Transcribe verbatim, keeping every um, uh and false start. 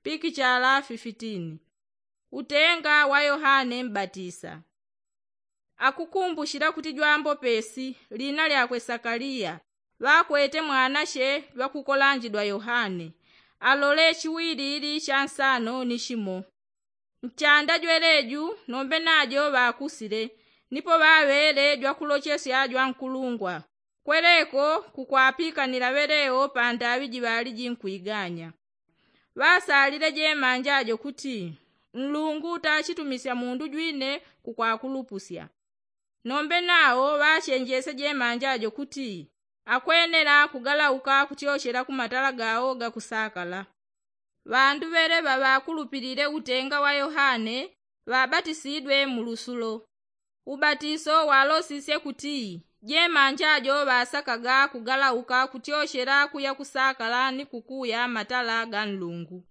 pikichala fifitini. Utenga wa yohane mbatisa. Akukumbushila kuti jwambo pesi lina lyakwe sakaliya ŵakwete mwanashe jwakukolanjidwa yohane. Alole chiwilili cha nsano ni shimo. Nchanda jweleju nombe najo ŵakusile nipo ŵaŵele jwakulochesya jwankulungwa. Kweleko kukwapikanila ŵeleo pandaŵi jiŵaliji nkwiganya. Ŵasalile jemanja jo kuti nlungu tachitumisya mundu jwine kukwakulupusya. Nombe nao ŵachenjesye jemanja jo kuti akwenela kugalauka kutyochela kumatala gao gakusakala. Ŵandu ŵele ŵaŵakulupilile utenga wa yohane ŵabatisidwe mu lusulo. Ubatiso walosisye kuti jemanja jo ŵasakaga kugalauka kutyochela kuya kusakala ni kukuya matala ga nlungu.